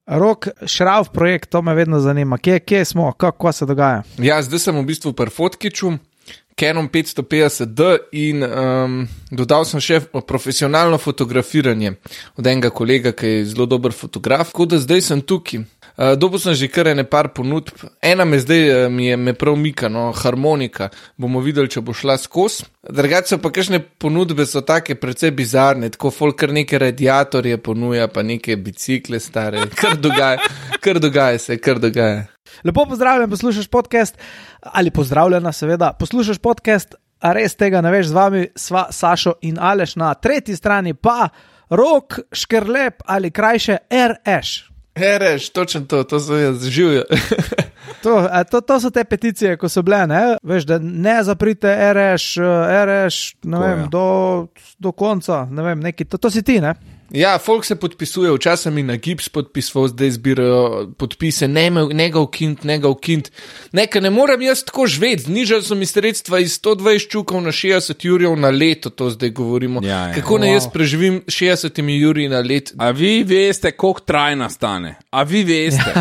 Rok, Šrauf projekt, to me vedno zanima. Kje smo, kako se dogaja? Ja, zdaj sem v bistvu pri Fotkiču, Canon 550D in dodal sem še profesionalno fotografiranje od enega kolega, ki je zelo dober fotograf, tako da zdaj sem tukaj. Dobil sem že kar par ponudb. Ena me zdaj me prav mika, no, harmonika. Bomo videli, če bo šla skozi. Drugače so pa kakšne ponudbe so take precej bizarne, tako folk kar neke radiatorje ponuja, pa neke bicikle stare. Kar dogaja se. Lepo pozdravljen, poslušaš podcast, ali pozdravljena seveda, poslušaš podcast, a res tega ne veš, z vami sva Sašo in Aleš, na tretji strani pa Rok, Škrlep ali krajše RŠ. RŠ, točno to so jaz, živijo. To so te peticije, ko so bile, ne? Veš, da ne zaprite RŠ, ne vem, do konca, ne vem, neki, to si ti, ne? Ja, folk se podpisuje, včasih mi na gips podpisval, zdaj zbirajo podpise, ne ga ukint. Nekaj ne morem jaz tako živeti, znižali so mi sredstva iz 120 čukov na 60 jurjev na leto, to zdaj govorimo. Ja. Kako ne jaz preživim 60 jurji na let? A vi veste, koliko trajna stane? A vi veste?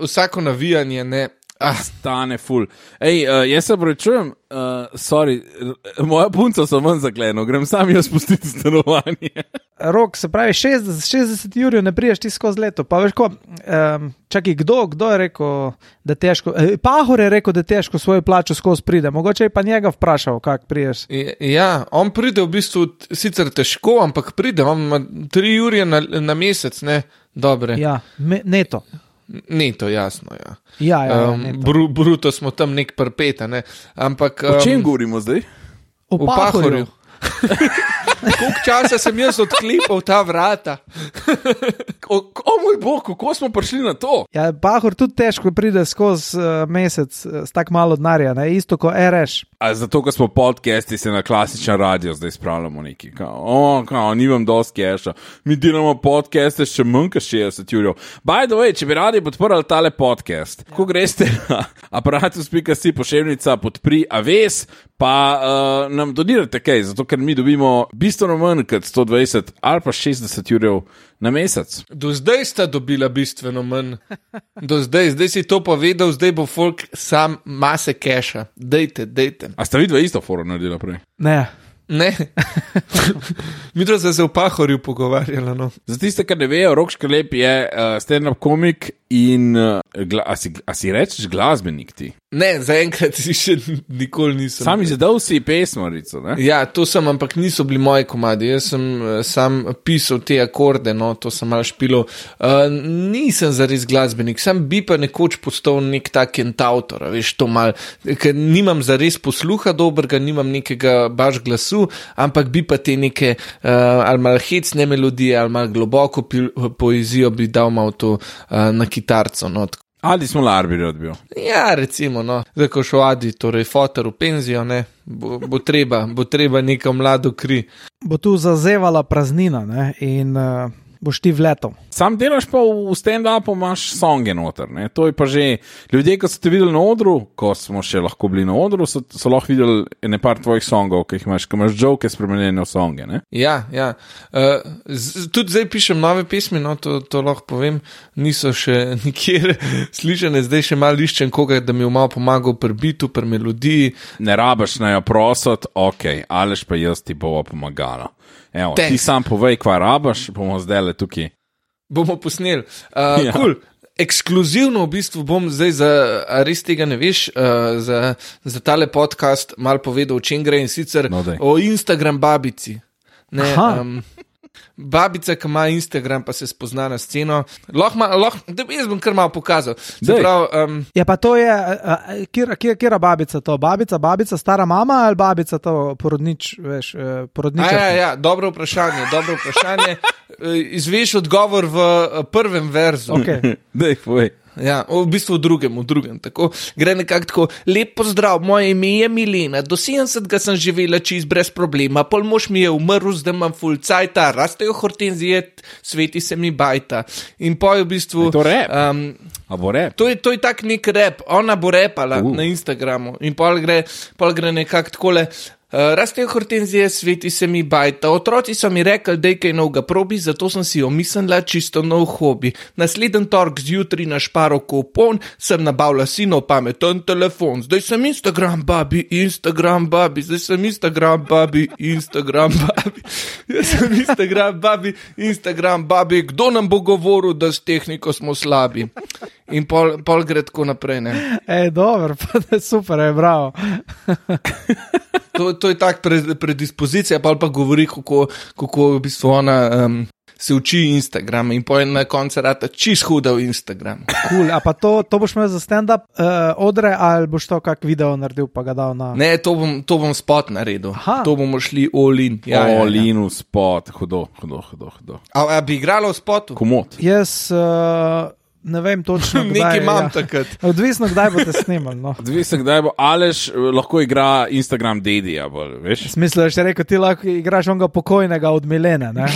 Vsako navijanje, ne. Stane ful. Jaz se prečujem, sorry, moja punca so ven zakleno, grem sam jaz spustiti stanovanje. Rok, se pravi 60 jurjev ne priješ ti skozi leto, pa veš ko, čakaj, kdo je rekel, da težko, Pahor je rekel, da težko svojo plačo skozi pride, mogoče je pa njega vprašal, kak priješ. Ja, on pride v bistvu sicer težko, ampak pride, on ima 3 jurje na mesec, ne, dobre. Ja, neto. Neto, jasno, ja. Ja, neto. Bruto smo tam nek prpeta, ne, ampak... O čem govorimo zdaj? O Pahorju. Koliko časa sem jaz odklepal ta vrata? O moj bog, kako smo prišli na to? Ja, Pahor tudi težko pride skozi mesec s tak malo denarja, ne, isto kot RŠ. A zato, ko smo podcasti, se na klasičen radio zdaj spravljamo neki, nimam dosti keša, mi delamo podcaste še manj kot 60 jurjev. By the way, če bi radi podprli tale podcast, ko greste na aparatus.si poševnica podpri Aves, pa nam donirate kaj, zato ker mi dobimo bistveno manj kot 120 ali pa 60 jurjev na mesec. Do zdaj sta dobila bistveno manj. Zdaj si to povedal, zdaj bo folk sam mase keša. Dejte. A sta vidva isto foro naredila prej? Ne. Mi smo se v Pahorju pogovarjali, no. Za tiste, kar ne vejo, Rok Škrlep je stand-up komik in a si rečeš glasbenik ti? Ne, zaenkrat si še nikoli nisem. Sam izdal si pesmarico, ne? Ja, to sem, ampak niso bili moji komadi. Jaz sem sam pisal te akorde, no, to sem malo špilal. Nisem zares glasbenik, sam bi pa nekoč postal nek tak kentautor, veš, to malo, ker nimam zares posluha dobrega, nimam nekega baš glasu, ampak bi pa te neke ali malo hecne melodije, ali malo globoko poezijo bi dal malo to na kitarco, no. Adi smo Larbi odbil. Ja, recimo, no. Zdaj, ko šel Adi, torej foter v penzijo, ne, bo treba neka mlado kri. Bo tu zazevala praznina, ne, in boš ti vletel. Sam delaš pa v stand-upu, imaš songe noter, ne, to je pa že, ljudje, ko so te videli na odru, ko smo še lahko bili na odru, so lahko videli nekaj tvojih songov, ki imaš joke spremenjene v songe, ne? Ja. Tudi zdaj pišem nove pesmi, no, to lahko povem, niso še nikjer slišane, zdaj še malo iščem koga, da mi je malo pomagal pri bitu, pri melodiji. Ne rabaš na jo prosot, ok, Aleš pa jaz ti bova pomagala. Evo, ti sam povej, kva rabaš, bomo zdaj tukaj. Bomo posneli. Cool. Ekskluzivno v bistvu bom zdaj a res tega ne veš, za tale podcast malo povedal, o čem gre, in sicer o Instagram babici. Ne, babica, ki ima Instagram, pa se spozna na sceno. Jaz bom kar malo pokazal. Ja, pa to je, kjera babica to? Babica, stara mama ali babica to porodničarka? Ja, dobro vprašanje. Izveš odgovor v prvem verzu. Okay. Dej, povej. Ja, v bistvu v drugem, tako, gre nekako tako, lep pozdrav, moje ime je Milena, do 70 sem živela čist brez problema, pol mož mi je umrl, zdaj imam ful cajta, rastejo hortenzije, sveti se mi bajta. In poj v bistvu... Je to rap? A bo rap? To je tak nek rap, ona bo repala na Instagramu in pol gre nekako takole, Rastejo hortenzije, sveti se mi bajta. Otroci so mi rekli, da je kaj novega probi, zato sem si omislila čisto nov hobi. Naslednji torek zjutraj na Šparo kupon sem nabavila sinov pameten telefon. Zdaj sem Instagram babi. Zdaj sem Instagram babi. Jaz sem Instagram babi. Kdo nam bo govoril, da s tehniko smo slabi? In pol gre tako naprej, ne? Dobro, pa super, je bravo. To je tak predispozicija, pa govori, kako v bistvu ona se uči Instagram in pojem na koncu rata čist huda v Instagram. Cool. A pa to boš imel za stand-up odre ali boš to kak video naredil pa ga dal na... Ne, to bom spot naredil. Aha. To bomo šli all in. All in v spot, hudo. A bi igralo v spotu? Komot. Jaz ne vem točno, kdaj. Nekaj imam takrat. Odvisno, kdaj boste snimali. No. Odvisno, kdaj bo Aleš lahko igra Instagram Daddy-ja, veš? V smislu, da še rekel, ti lahko igraš onega pokojnega od Milene, ne?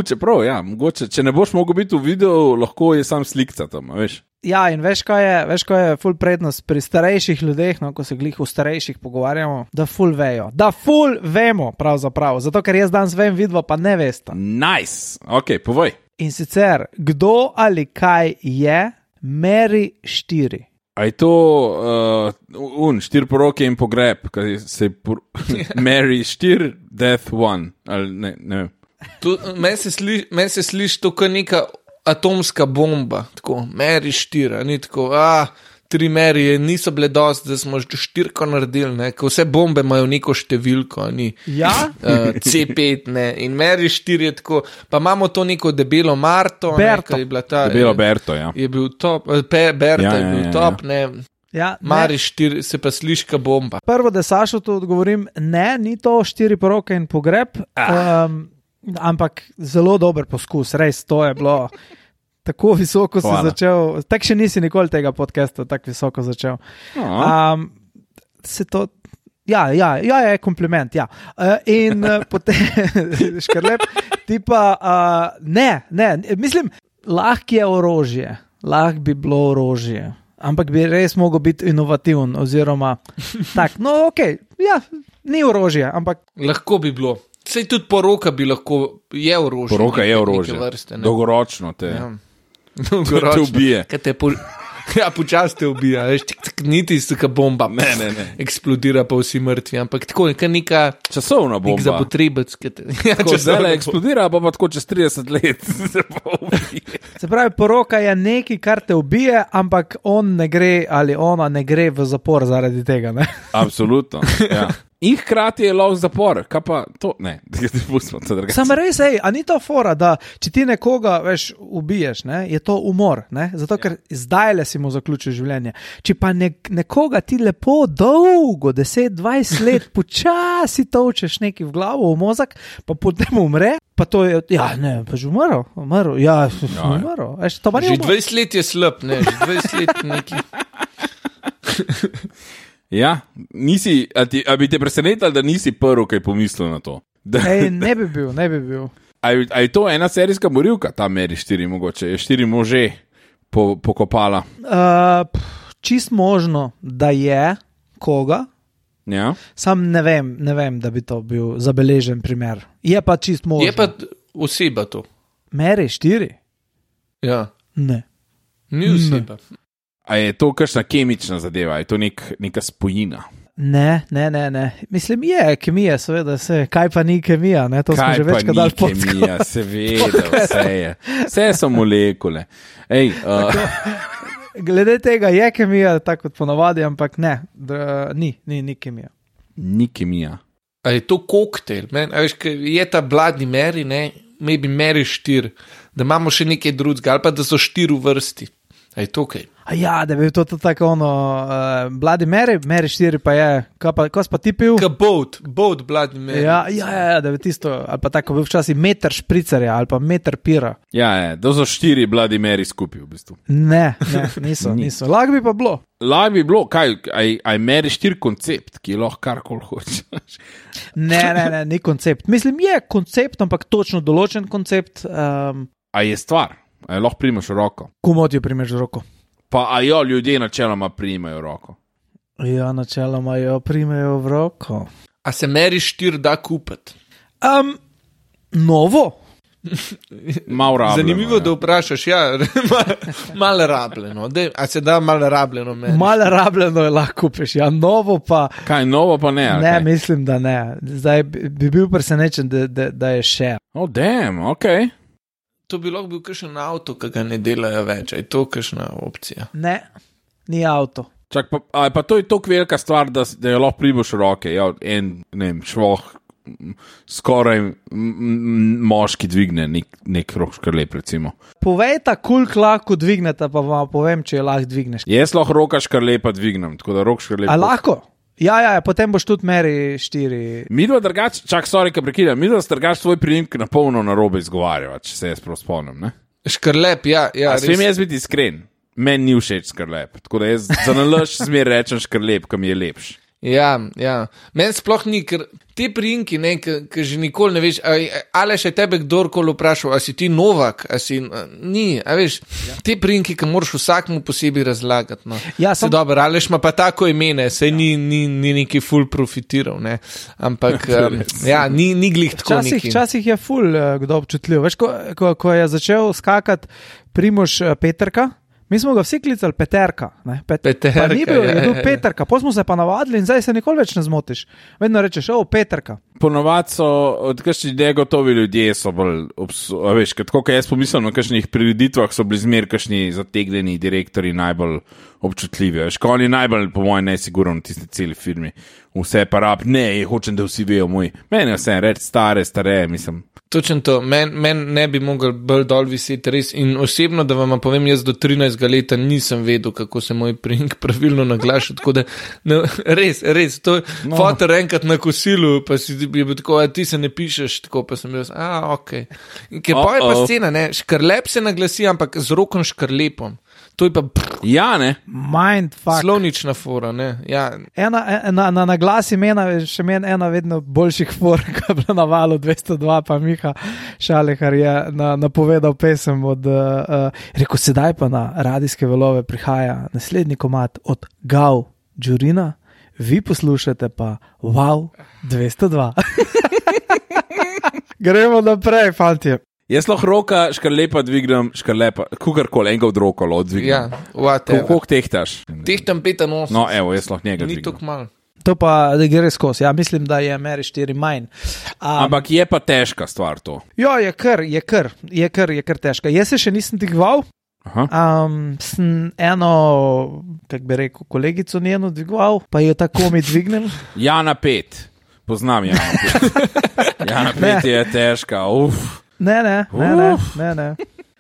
Čeprav, ja, mogoče, če ne boš mogel biti v videu, lahko je sam slikca tam, veš? Ja, in veš, kaj je ful prednost pri starejših ljudeh, no, ko se glih v starejših pogovarjamo, da ful vejo. Da ful vemo, pravzaprav. Zato, ker jaz danes vem, vidva pa ne veste. Nice, ok, povej. In sicer, kdo ali kaj je Mary 4? A je to štiri poroke in pogreb, kaj se Mary 4, Death 1, ali ne vem. Meni se sliši to kot neka atomska bomba, tako, Mary 4, ni tako, 3 Maryje niso bile dosti, da smo 4 naredili, ne, ko vse bombe imajo neko številko, ni C5, ne, in Mary 4 je tako, pa imamo to neko debelo Marto, Berto. Ne, je bila ta, debelo Berto, ja. Je bil top, Berta je bil top, ne. Ja, Mary 4 se pa sliška bomba. Prvo, da Sašo to odgovorim, ne, ni to 4 poroke in pogreb, ampak zelo dober poskus, res, to je bilo tako visoko si začel, tak še nisi nikoli tega podcasta tako visoko začel. Se to, ja, je kompliment, ja. In potem, škrlep, ti pa, ne, mislim, lahko je orožje, lahko bi bilo orožje. Ampak bi res mogel biti inovativen, oziroma tak, no okej, ja, ni orožje, ampak... Lahko bi bilo. Sej tudi poroka bi lahko, je orožje. Poroka je orožje, vrste, dolgoročno te, dolgoročno. Te ubije. Počas te ubija, veš, niti taka bomba, ne. Eksplodira pa vsi mrtvi, ampak tako neka časovna bomba. Nek zapotrебec. Tako zdaj eksplodira, pa tako čez 30 let se pa ubije. Se pravi, poroka je nekaj, kar te ubije, ampak on ne gre ali ona ne gre v zapor zaradi tega, ne? Absolutno, ja. In hkrati je lov zapor, kaj pa to, ne, pustimo to drugače. Sam res, a ni to fora, da če ti nekoga, veš, ubiješ, ne, je to umor, ne, zato ker zdajle si mu zaključil življenje. Če pa nekoga ti lepo dolgo, 10-20 let, počasi točeš neki v glavo, v mozak, pa potem umre, pa to je, ja, ne, pa že umrl, ja, umrl. Že 20 let je slab, ne, že 20 let neki. Ja, a bi te presenetili, da nisi prvi, kaj pomislil na to? Ne bi bil. A je to ena serijska morilka, ta Mary 4 mogoče, je 4 može pokopala? Čist možno, da je koga, ja. Sam ne vem, da bi to bil zabeležen primer. Je pa čist možno. Je pa oseba to. Mary 4? Ja. Ne. Ni oseba. A je to kakšna kemična zadeva, je to neka spojina? Ne. Mislim, je kemija, seveda, kaj pa ni kemija, ne? To smo že večkrat dali podcast. Kaj pa ni kemija, seveda, vse je. Vse so molekule. Glede tega je kemija, tako kot ponavadi, ampak ne, ni kemija. Ni kemija. A je to koktejl? Je ta Bloody Mary, ne? Maybe Mary 4, da imamo še nekaj drugega, ali pa da so 4 v vrsti. A je to kaj? Ja, da bi to tako Bloody Mary 4 pa je, ko si pa ti pil? Boat Bloody Mary. Ja, da bi tisto, ali pa tako bil včasih meter špricerja, ali pa meter pira. Ja, to so 4 Bloody Mary skupaj v bistvu. Ne, niso. Lahko bi pa bilo. Lahko bi bilo, kaj, a je Mary 4 koncept, ki lahko karkoli hočeš? Ne, ni koncept. Mislim, je koncept, ampak točno določen koncept. A je stvar? A lahko primeš v roko? Komu ti jo primeš v roko? Pa a jo ljudje načeloma primajo v roko? Ja, načeloma jo primejo v roko. A se Meri 4 da kupiti? Novo. Malo rabljeno. Zanimivo, da vprašaš, ja, malo rabljeno. A se da malo rabljeno Meri? Malo rabljeno je lahko kupiš, ja, novo pa. Kaj, novo pa ne? Ne, mislim, da ne. Zdaj bi bil presenečen, da je še. Oh, damn, ok. To bi lahko bil kakšen avto, ki ga ne delajo več. Je to kakšna opcija? Ne, ni avto. Čak, pa to je toliko velika stvar, da jo lahko priboš v roke. Ja, švoh, skoraj moški dvigne nek rok škrlep, recimo. Povejta, koliko lahko dvignete, pa vam povem, če jo lahko dvigneš. Jaz lahko roka škrlepa dvignem, tako da rok škrlepa. A lahko? Ja, potem boš tudi Meri 4. Midva drugače, kaj prekidam, midva drugače svoj priimek na polno narobe izgovarjava, če se jaz prav spomnim, ne? Škrlep, ja. Smem jaz biti iskren. Meni ni všeč škrlep, tako da jaz za nalaž zmer rečem škrlep, ki mi je lepš. Ja. Meni sploh ni, ker te priimki, ki že nikoli ne veš, ali še tebe kdorkoli vprašal, a si ti Novak, a si ni, a veš, te priimki, ki moraš vsakmu posebej razlagati. No. Ja, se dobro, Aleš ima pa tako imene, sej ni neki ful profitiral, ne, ampak ni glih tako neki. Včasih je ful kdo občutljiv. Veš, ko je začel skakati Primož Peterka, mi smo ga vsi klicali Peterka. Peterka, ni bil, je bil Peterka, potem smo se pa navadili in zdaj se nikoli več ne zmotiš. Vedno rečeš, Peterka. Ponovadi so, kakšni negotovi ljudje so bolj, veš, tako kot jaz pomislim, na kakšnih prireditvah so bili zmer kakšni zategnjeni direktori najbolj občutljivi. Veš, ko oni najbolj, po mojem, nesigurno v tisti celi firmi. Vse pa rab, hočem, da vsi vejo moj. Meni je vse, reči stare, mislim. Točno to, men ne bi mogel bolj dol viseti res in osebno, da vam povem, jaz do 13 leta nisem vedel, kako se moj priimek pravilno naglaša, tako da res, to je fotor enkrat na kosilu, pa si je bil tako, ti se ne pišeš, tako pa sem bil, ok. Ker pa je pa scena, ne, škrlep se naglasi, ampak z rokom škrlepom. To je pa ja, ne. Mindfuck. Slovnična fora, ne. Ja. Na glas imena še meni ena vedno boljših for, ki je bila na valu 202, pa Miha Šalehar je napovedal pesem od rekel, sedaj pa na radijske valove prihaja naslednji komad od Gav Džurina, vi poslušate pa Wow 202. Gremo naprej, fantje. Jaz lahko roka škrlepa dvignem, kukarkoli, enega od roko odvignem. Ja, whatever. Koliko tehtaš? Tehtam 85. No, evo, jaz lahko njega dvignem. Ni dvignem. tako malo. To pa da gre skozi. Ja, mislim, da je Meri 4 manj. Ampak je pa težka stvar to. Jo, je kar težka. Jaz se še nisem dvigoval. Sem eno, kako bi rekel, kolegico njeno dvigoval, pa jo tako mi dvignem. Jana 5. Poznam Jana 5. Jana 5 je težka, Ne.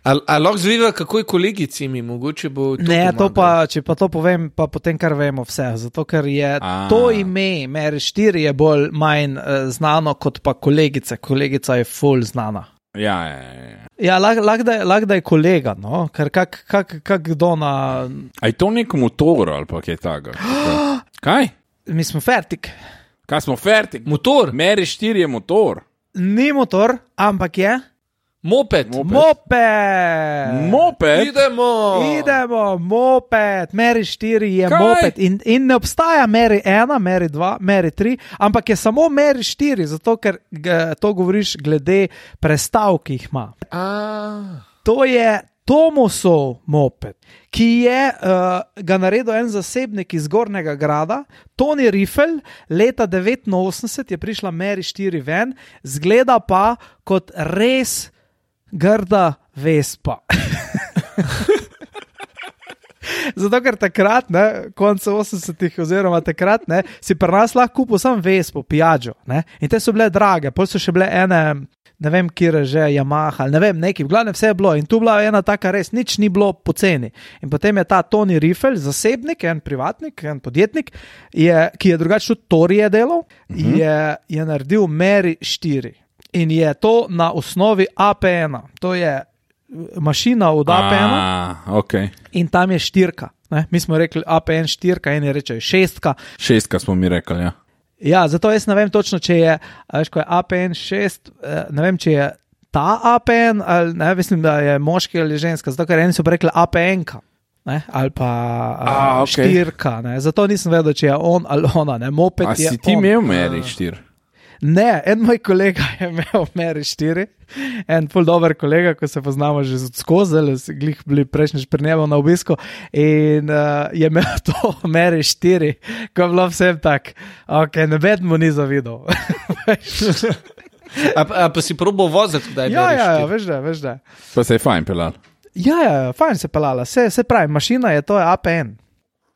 A lahko zviva, kako je kolegici mi, mogoče bo to ne, pomagalo. to pa, če pa to povem, pa potem kar vemo vse, zato ker je to ime, Meri 4 je bolj manj znano kot pa kolegica je full znana. Ja. Ja, lahko da je kolega, no, ker kak kdo na... A je to nek motor ali pa kaj tako? Kaj? Mi smo fertik. Kaj smo fertik? Motor? Meri 4 je motor. Ni motor, ampak je... Moped. Idemo, moped. Meri 4 je kaj? Moped in ne obstaja Meri 1, Meri 2, Meri 3, ampak je samo Meri 4, zato ker to govoriš glede prestav, ki jih ima. To je Tomosov moped, ki je ga naredil en zasebnik iz Gornjega Grada, Toni Riffel, leta 1989 je prišla Meri 4 ven, zgleda pa kot res grda Vespa. Zato, ker takrat, konca 80-ih oziroma takrat, si pri nas lahko kupil sam Vespo, Piaggio, in te so bile drage, pol so še bile ene, ne vem, kjer že Yamaha, ne vem, neki, v glavnem vse je bilo in tu bila ena taka res, nič ni bilo poceni. In potem je ta Toni Riffel, zasebnik, en privatnik, en podjetnik, ki je drugače tudi Torije delal, je naredil Meri 4. In je to na osnovi AP1. To je mašina od AP1. Okay. In tam je 4. Mi smo rekli AP1 4, eni rečejo 6. 6 smo mi rekli, ja. Ja, zato jaz ne vem točno, če je, veš, ko je APN 6, ne vem, če je ta APN, ali ne, mislim, da je moški ali ženska, zato ker eni so rekli APN-ka. ne, ali pa okej. štirka. Ne. Zato nisem vedel, če je on ali ona. Ne. Moped A je si ti on. imel Meri 4? Ne, en moj kolega je imel Meri 4, en ful dober kolega, ko se poznamo že skozi, glih bili prejšnjič pri njemu na obisku in je imel to Meri 4, ko je bilo vsem tak, ok, noben mu ni zavidal. A pa si probal voziti, kdaj Ja, veš da. Pa se je fajn pelal. Ja, fajn se pelala, se pravi, mašina je, to je APN.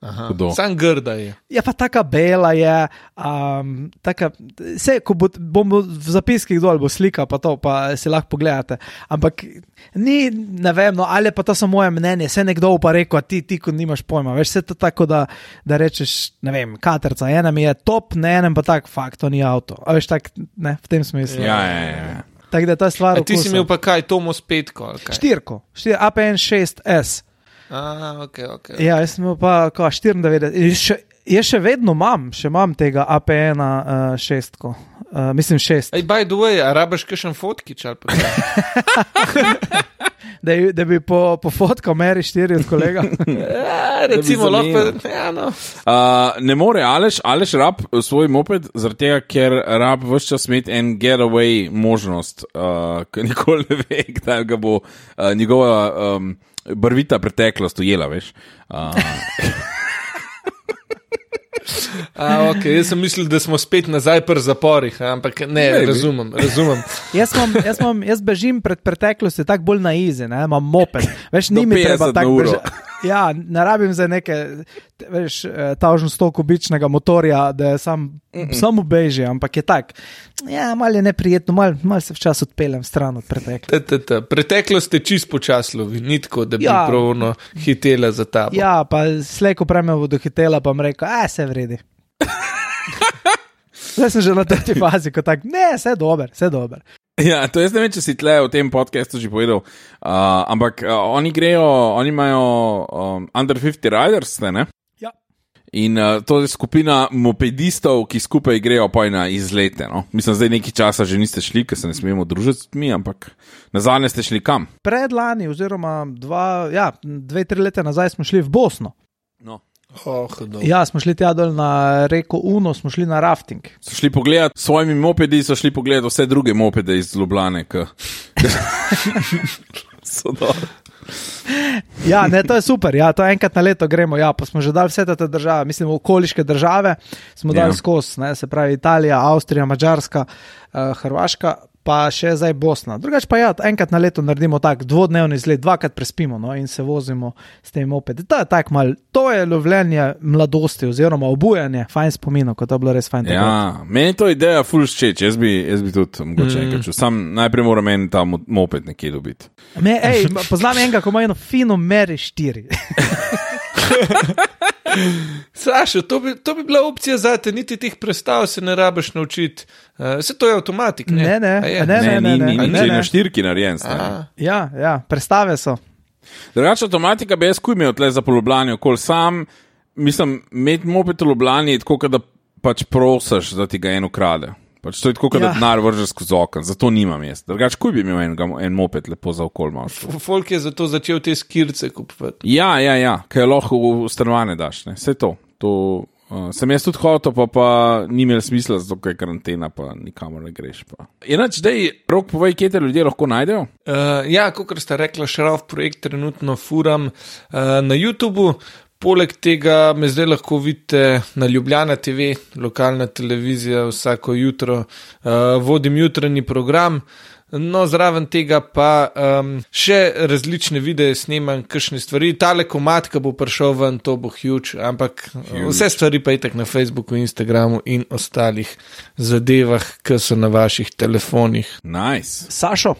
Hudo. Sam grda je. Ja, pa taka bela je, taka, vse, ko bom v zapiskih dol, bo slika, pa to, pa si lahko pogledate. Ampak ni, ne vem, no, ali pa to samo moje mnenje, se nekdo pa rekel, a ti, ko nimaš pojma, veš, se to tako, da rečeš, ne vem, katerca, enem je top, ne enem pa tak, fakt, to ni avto. A veš, tak, ne, v tem smislu. Ja. Tako da to je stvar A ti si okusa. imel pa kaj, Tomos 5, ali kaj? Štirko, APN 6S. Ok. Ja, jaz sem imel pa 94. Jaz še vedno imam tega APN 6. Mislim 6. Ej, by the way, a rabiš kakšen fotkič ali pa kaj? Da bi pofotkal Meri 4 od kolega. Recimo, Da bi lahko, ja, no. Ne more Aleš rab svoj moped, zaradi tega, ker rab vse čas imeti en getaway možnost, ker nikoli ne ve, kdaj ga bo njegova barvita preteklost ujela, veš. Ok, jaz sem mislil, da smo spet nazaj pri zaporih, ampak ne, razumem. Jaz bežim pred preteklosti tako bolj na izi, ne, imam moped. Veš, Do ni mi 50 treba na tako uro. bežati. Ja, ne rabim za neke, veš, tažno 100 kubičnega motorja, da samo beži, ampak je tak. Ja, malo je neprijetno, malo se včas odpeljem stran od preteklosti. Preteklost je čist počaslovi, ni tako, da bi Ja. pravno hitela za tabo. Ja, pa slejko preme bodo hitela, pa mi rekel, se vredi. Zdaj sem že na tej fazi, ko tak, ne, vse dober. Ja, to jaz ne vem, če si tle v tem podcastu že povedal, ampak oni imajo Under 50 Riders, ne? Ja. In to je skupina mopedistov, ki skupaj grejo pa na izlete. No? Mislim, zdaj nekaj časa že niste šli, ker se ne smemo družiti s mi, ampak nazadnje ste šli kam? Predlani, oziroma 2-3 leta nazaj smo šli v Bosno. No. Ja, smo šli tja dol na reko Uno, smo šli na rafting. So šli pogledat s svojimi mopedi, so šli pogledat vse druge mopede iz Ljubljane, so dobro. Ja, ne, to je super, ja, to enkrat na leto gremo, ja, pa smo že dali vse te države, mislim, okoliške države smo dali skozi, ne, se pravi Italija, Avstrija, Madžarska, Hrvaška, pa še zdaj Bosna. Drugač pa ja, enkrat na leto naredimo tak dvodnevni izlet, 2krat prespimo, no, in se vozimo s tem mopedi. To je lovljenje mladosti oziroma obujanje, fajn spominov, ko to je bilo res fajn. Ja, meni to ideja ful všeč, jaz bi tudi mogoče enkrat čul. Sam najprej moram en ta moped nekje dobiti. Poznam enega, ko ima eno fino Meri 4. Sašo, to bi bila opcija za te, niti teh prestav se ne rabiš naučiti. Vse to je avtomatik, ne? Ne, na štirki narejen. Ja, prestave so. Drugače avtomatika bi jaz kuj imel tle za polubljanje okoli sam, mislim, imeti moped v Ljubljani je tako, da pač prosiš, da ti ga en ukrade. Pač to je tako, da denar vržeš skozi okno, zato nimam jaz. Drugače, kuj bi imel en moped lepo za okol malo. Folk je zato začel te skirce kupovati. Ja, kaj lahko v stanovanje daš, ne, vse to. Sem jaz tudi hotel, pa ni imel smisla, zato ker je karantena, pa nikamor ne greš. Inač, dej, Rok, povej, kje te ljudje lahko najdejo? Ja, kakor sta rekla, Šraf projekt trenutno furam na YouTubu. Poleg tega me zdaj lahko vidite na Ljubljana TV, lokalna televizija, vsako jutro vodim jutranji program. No, zraven tega pa še različne videe snemam, kakšne stvari. Tale komad, ki bo prišel ven, to bo huge, ampak vse stvari pa itak na Facebooku, Instagramu in ostalih zadevah, ki so na vaših telefonih. Nice. Sašo,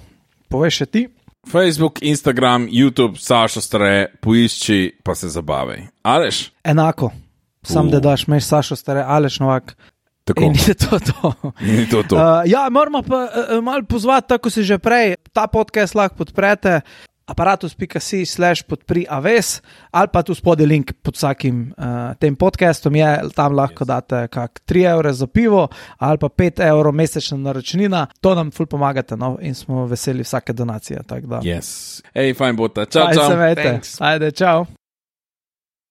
povej še ti. Facebook, Instagram, YouTube, Sašo Stare, poišči, pa se zabavaj. Aleš? Enako. Sam da daš meš Sašo Stare, Aleš Novak. Tako. In je to. Ja, moramo pa malo pozvati, tako si že prej, ta podcast lahko podprete, aparatus.si/podpri-aves, ali pa tu spodaj link pod vsakim tem podcastom je, tam lahko date kak 3 evre za pivo, ali pa 5 evrov mesečna naročnina, to nam ful pomagate, no, in smo veseli vsake donacije, tako da. Yes. Ej, fajn bo ta. Čau. Ajde, čau.